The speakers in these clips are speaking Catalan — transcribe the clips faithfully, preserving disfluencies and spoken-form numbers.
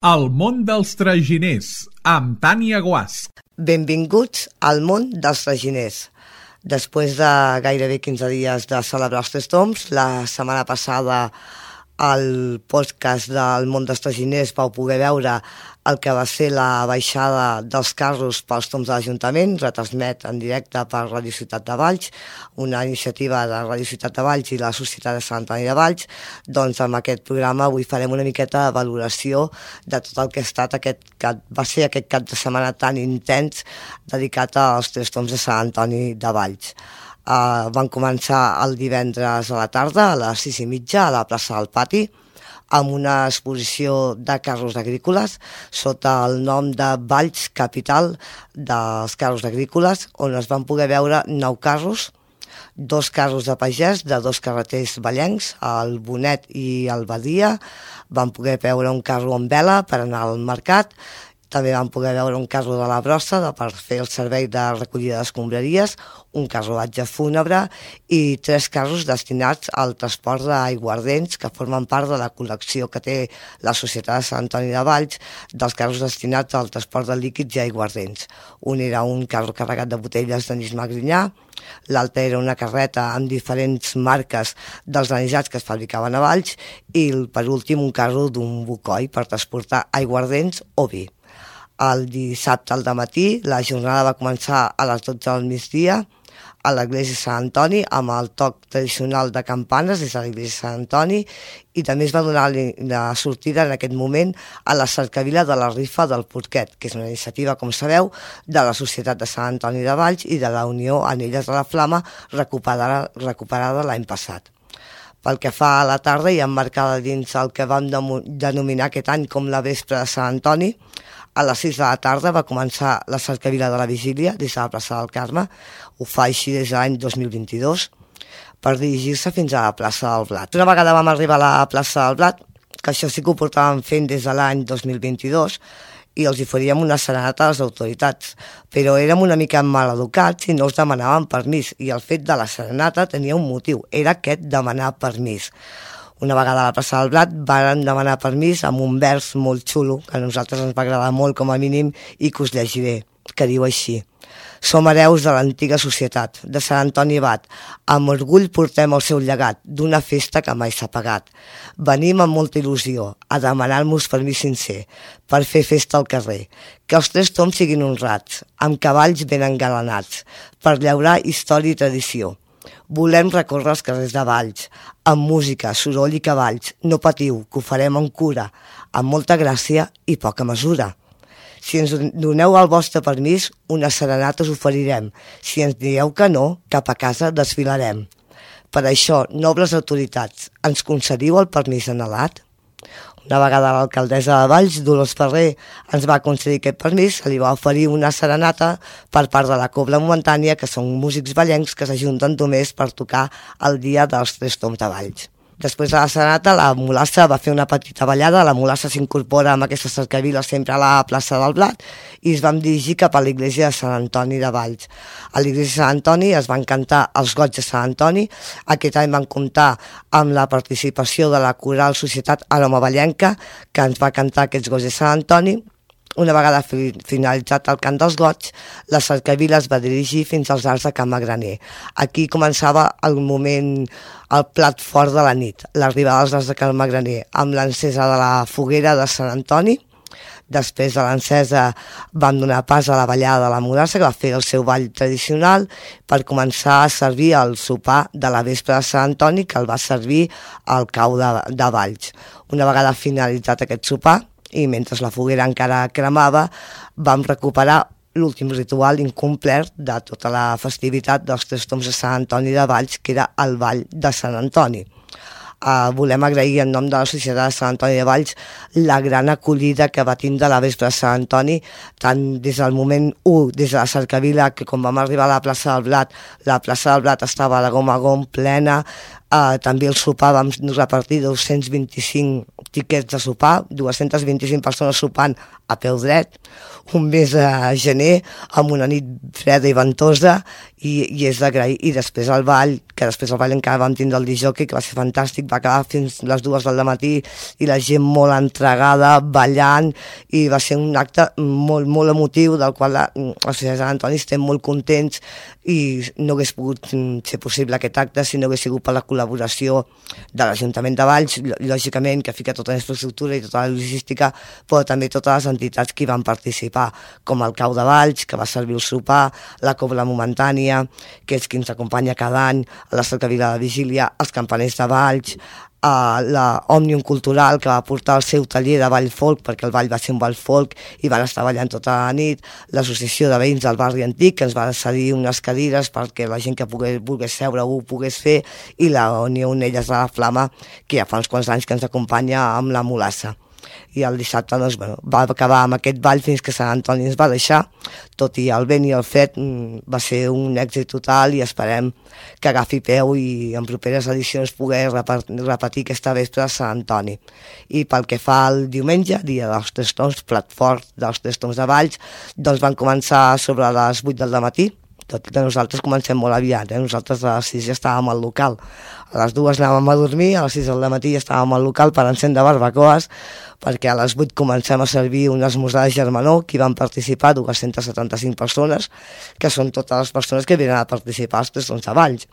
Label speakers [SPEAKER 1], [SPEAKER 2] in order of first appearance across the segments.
[SPEAKER 1] El món dels traginers, amb Tània Guasch.
[SPEAKER 2] Benvinguts al món dels traginers. Després de gairebé quinze dies de celebrar els Tres Tombs, la setmana passada al podcast del món dels traginers vau poder veure el que va ser la baixada dels carros pels tombs de l'Ajuntament, retransmet en directe per Radio Ciutat de Valls, una iniciativa de Radio Ciutat de Valls i la Societat de Sant Antoni de Valls. Doncs amb aquest programa avui farem una miqueta de valoració de tot el que ha estat aquest cap, va ser aquest cap de setmana tan intens dedicat als Tres Tombs de Sant Antoni de Valls. Uh, van començar el divendres a la tarda, a les sis i mitja, a la plaça del Pati, amb una exposició de carros agrícoles sota el nom de Valls Capital dels carros agrícoles, on es van poder veure nou carros, dos carros de pagès de dos carreters vallencs, el Bonet i el Badia. Van poder veure un carro amb vela per anar al mercat. També vam poder veure un carro de la brossa de, per fer el servei de recollida d'escombraries, un carruatge fúnebre i tres carros destinats al transport d'aiguardents que formen part de la col·lecció que té la Societat de Sant Antoni de Valls dels carros destinats al transport de líquids i aiguardents. Un era un carro carregat de botelles d'anís Magrinyà, l'altre era una carreta amb diferents marques dels anisats que es fabricaven a Valls i per últim un carro d'un bocoi per transportar aiguardents o vi. El dissabte al dematí la jornada va començar a les dotze del migdia a l'església de Sant Antoni amb el toc tradicional de campanes des de l'església de Sant Antoni i també es va donar la sortida en aquest moment a la cercavila de la rifa del Porquet, que és una iniciativa, com sabeu, de la Societat de Sant Antoni de Valls i de la Unió Anelles de la Flama recuperada, recuperada l'any passat. Pel que fa a la tarda i emmarcada dins el que vam denominar aquest any com la vespre de Sant Antoni, a les sis de la tarda va començar la cercavila de la vigília des de la plaça del Carme, ho fa així des de l'any dos mil vint-i-dos, per dirigir-se fins a la plaça del Blat. Una vegada vam arribar a la plaça del Blat, que això sí que ho portàvem fent des de l'any dos mil vint-i-dos, i els hi faríem una serenata a les autoritats, però érem una mica maleducats i no els demanàvem permís, i el fet de la serenata tenia un motiu, era aquest demanar permís. Una vegada a la plaça del Blat varen demanar permís amb un vers molt xulo, que a nosaltres ens va agradar molt com a mínim i que us llegiré, que diu així: Som hereus de l'antiga societat, de Sant Antoni Abat. Amb orgull portem el seu llegat d'una festa que mai s'ha pagat. Venim amb molta il·lusió a demanar-nos permís sincer per fer festa al carrer. Que els Tres Tombs siguin honrats, amb cavalls ben engalanats, per llaurar història i tradició. Volem recórrer els carrers de Valls, amb música, soroll i cavalls. No patiu, que ho farem amb cura, amb molta gràcia i poca mesura. Si ens doneu el vostre permís, una serenata us oferirem. Si ens dieu que no, cap a casa desfilarem. Per això, nobles autoritats, ens concediu el permís anhelat? Una vegada l'alcaldessa de Valls, Dolors Ferrer, ens va concedir aquest permís, se li va oferir una serenata per part de la Cobla Momentània, que són músics vallencs que s'ajunten només per tocar el dia dels Tres Tombs de Valls. Després de la serenata, la mulassa va fer una petita ballada, la mulassa s'incorpora amb aquesta cercavila sempre a la plaça del Blat i es vam dirigir cap a l'església de Sant Antoni de Valls. A l'església de Sant Antoni es van cantar els goigs de Sant Antoni, aquest any van comptar amb la participació de la coral Societat Aroma Vallenca, que ens va cantar aquests goigs de Sant Antoni. Una vegada finalitzat el cant dels goigs, la cercavila es va dirigir fins als arcs de Can Magraner. Aquí començava el moment, el plat fort de la nit, l'arribada als arcs de Can Magraner, amb l'encesa de la foguera de Sant Antoni. Després de l'encesa vam donar pas a la ballada de la mulassa, que va fer el seu ball tradicional, per començar a servir el sopar de la vespre de Sant Antoni, que el va servir al cau de, de Valls. Una vegada finalitzat aquest sopar, i mentre la foguera encara cremava, vam recuperar l'últim ritual incomplet de tota la festivitat dels Tres Tombs de Sant Antoni de Valls, que era el Ball de Sant Antoni. Uh, volem agrair en nom de la Societat de Sant Antoni de Valls la gran acollida que va tindre la vespre de Sant Antoni, tant des del moment u, des de la cercavila, que quan vam arribar a la plaça del Blat, la plaça del Blat estava de gom a gom plena, Uh, també el sopar vam repartir dos-cents vint-i-cinc tiquets de sopar, dues-centes vint-i-cinc persones sopant a peu dret, un mes de gener amb una nit freda i ventosa, i, i és d'agrair. I després el ball, que després el ball encara vam tindre el disjockey, que va ser fantàstic, va acabar fins les dues del matí i la gent molt entregada, ballant, i va ser un acte molt, molt emotiu, del qual la, la Societat Sant Antoni estem molt contents, i no hagués pogut ser possible aquest acte si no hagués sigut per la col·laboració de l'Ajuntament de Valls, lògicament, que fica tota la infraestructura i tota la logística, però també totes les entitats que hi van participar, com el Cau de Valls, que va servir el sopar, la Cobla Momentània, que és qui ens acompanya cada any a la Cercavila de Vigília, els Campaners de Valls, a la Òmnium Cultural, que va portar el seu taller de ball folk, perquè el ball va ser un ball folk i van estar ballant tota la nit, l'Associació de Veïns del Barri Antic, que ens va cedir unes cadires perquè la gent que pogués, volgués seure ho pogués fer, i la Unió Onelles de la Flama, que ja fa uns quants anys que ens acompanya amb la Mulassa. I el dissabte doncs, bueno, va acabar amb aquest ball fins que Sant Antoni ens va deixar, tot i el vent i el fred va ser un èxit total, i esperem que agafi peu i en properes edicions poder repetir aquesta vespre a Sant Antoni. I pel que fa al diumenge, dia dels Tres Tombs, plat fort dels Tres Tombs de Valls, doncs van començar sobre les vuit del matí, tot i que nosaltres comencem molt aviat, eh? Nosaltres a les sis ja estàvem al local, a les dues anàvem a dormir, a les sis del matí ja estàvem al local per encendre barbacoes, perquè a les vuit comencem a servir un esmorzar de germanor, que hi van participar dues-centes setanta-cinc persones, que són totes les persones que venen a participar als Tres Tombs de Valls.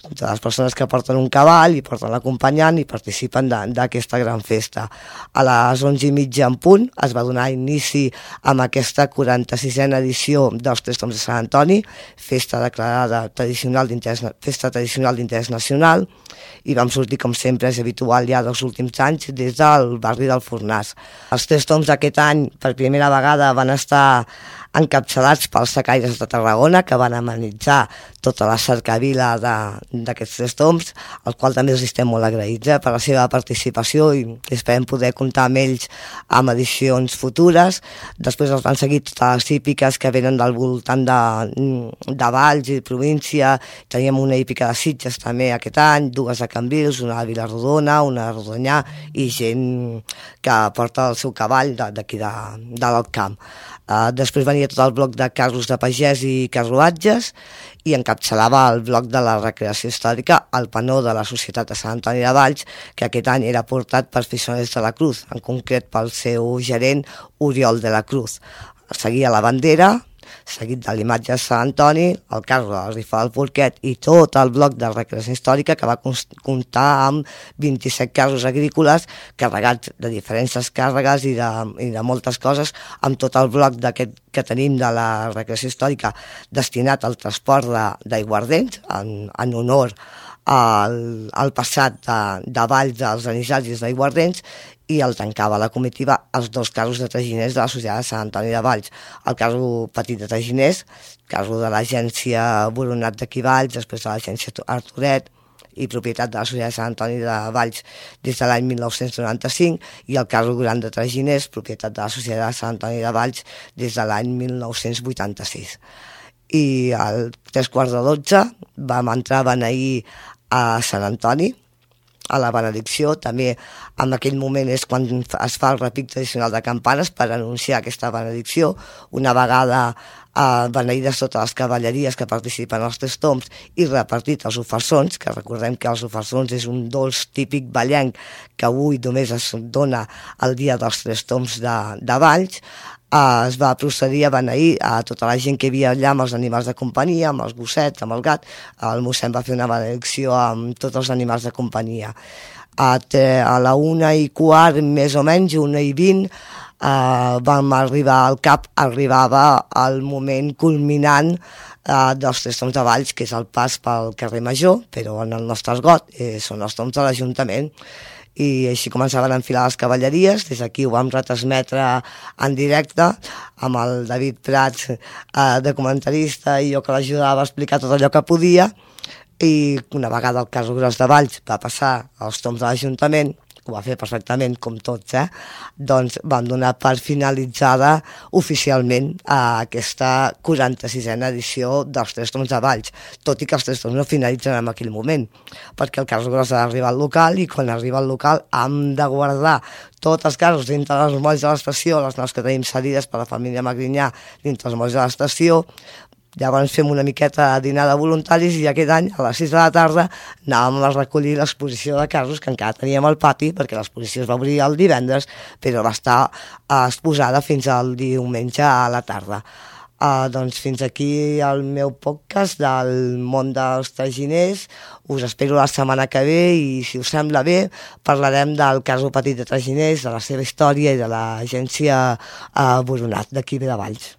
[SPEAKER 2] Totes les persones que porten un cavall i porten l'acompanyant i participen d'aquesta gran festa. A les onze i mitja en punt es va donar inici amb aquesta quaranta-sisena edició dels Tres Tombs de Sant Antoni, festa declarada tradicional festa tradicional d'interès nacional, i vam sortir, com sempre és habitual ja dels últims anys, des del barri del Fornàs. Els Tres Tombs d'aquest any, per primera vegada, van estar encapçalats pels secaires de Tarragona, que van amenitzar tota la cercavila d'aquests Tres Tombs, al qual també els estem molt agraïts eh, per la seva participació, i esperem poder comptar amb ells amb edicions futures. Després els van seguir totes les hípiques que venen del voltant de, de Valls i província. Teníem una hípica de Sitges també aquest any, dues de Cambrils, una de Vilarrodona, una de Rodonyà, i gent que porta el seu cavall d'aquí de, de, de l'Alcamp. Uh, després venia tot el bloc de carros de pagès i carruatges, i encapçalava el bloc de la recreació històrica el panó de la Societat de Sant Antoni de Valls, que aquest any era portat per Fisoners de la Cruz, en concret pel seu gerent Oriol de la Cruz. Seguia la bandera, seguit de l'imatge de Sant Antoni, el carro de la rifa del Porquet i tot el bloc de recreació històrica, que va comptar amb vint-i-set carros agrícoles carregats de diferents càrregues i de, i de moltes coses, amb tot el bloc d'aquest que tenim de la recreació històrica destinat al transport d'aiguardents, en, en honor al, al passat de, de Valls dels anisatges d'aiguardents, i el tancava la comitiva els dos carros de traginers de la Societat de Sant Antoni de Valls. El carro petit de traginers, carro de l'agència Boronat d'aquí Valls, després de l'agència Arturet, i propietat de la Societat de Sant Antoni de Valls des de l'any mil nou-cents noranta-cinc, i el carro gran de traginers, propietat de la Societat de Sant Antoni de Valls des de l'any mil nou-cents vuitanta-sis. I al tres quarts de dotze vam entrar a beneir a Sant Antoni, a la benedicció. També en aquell moment és quan es fa el repic tradicional de campanes per anunciar aquesta benedicció. Una vegada eh, beneïdes totes les cavalleries que participen als Tres Tombs i repartit els ofersons, que recordem que els ofersons és un dolç típic vallenc que avui només es dona el dia dels Tres Tombs de, de Valls, Uh, es va procedir a beneir a tota la gent que hi havia allà amb els animals de companyia, amb els gossets, amb el gat. El mossèn va fer una benedicció amb tots els animals de companyia. A, te, a la una i quart, més o menys, una i vint, uh, vam arribar al cap, arribava el moment culminant uh, dels Tres Tombs de Valls, que és el pas pel carrer Major, però en el nostre esgot eh, són els tombs de l'Ajuntament. I així començaven a enfilar les cavalleries. Des d'aquí ho vam retransmetre en directe amb el David Prats eh, de comentarista, i jo que l'ajudava a explicar tot allò que podia. I una vegada el carro gros de Valls va passar als tombs de l'Ajuntament, que ho va fer perfectament, com tots, eh? Doncs vam donar per finalitzada oficialment a aquesta quaranta-sisena edició dels Tres Toms de Valls, tot i que els Tres Toms no finalitzen en aquell moment, perquè el carro gros ha d'arribar al local i quan arriba al local hem de guardar tots els carros dintre dels molls de l'estació, les naus que tenim cedides per la família Magrinyà dintre els molls de l'estació. Llavors fem una miqueta de dinar de voluntaris i aquest any, a les sis de la tarda, anàvem a recollir l'exposició de carros que encara teníem al pati, perquè l'exposició es va obrir el divendres, però va estar exposada fins al diumenge a la tarda. Uh, doncs fins aquí el meu podcast del món dels traginers. Us espero la setmana que ve i, si us sembla bé, parlarem del carro petit de traginers, de la seva història i de l'agència uh, Boronat d'aquí de Valls.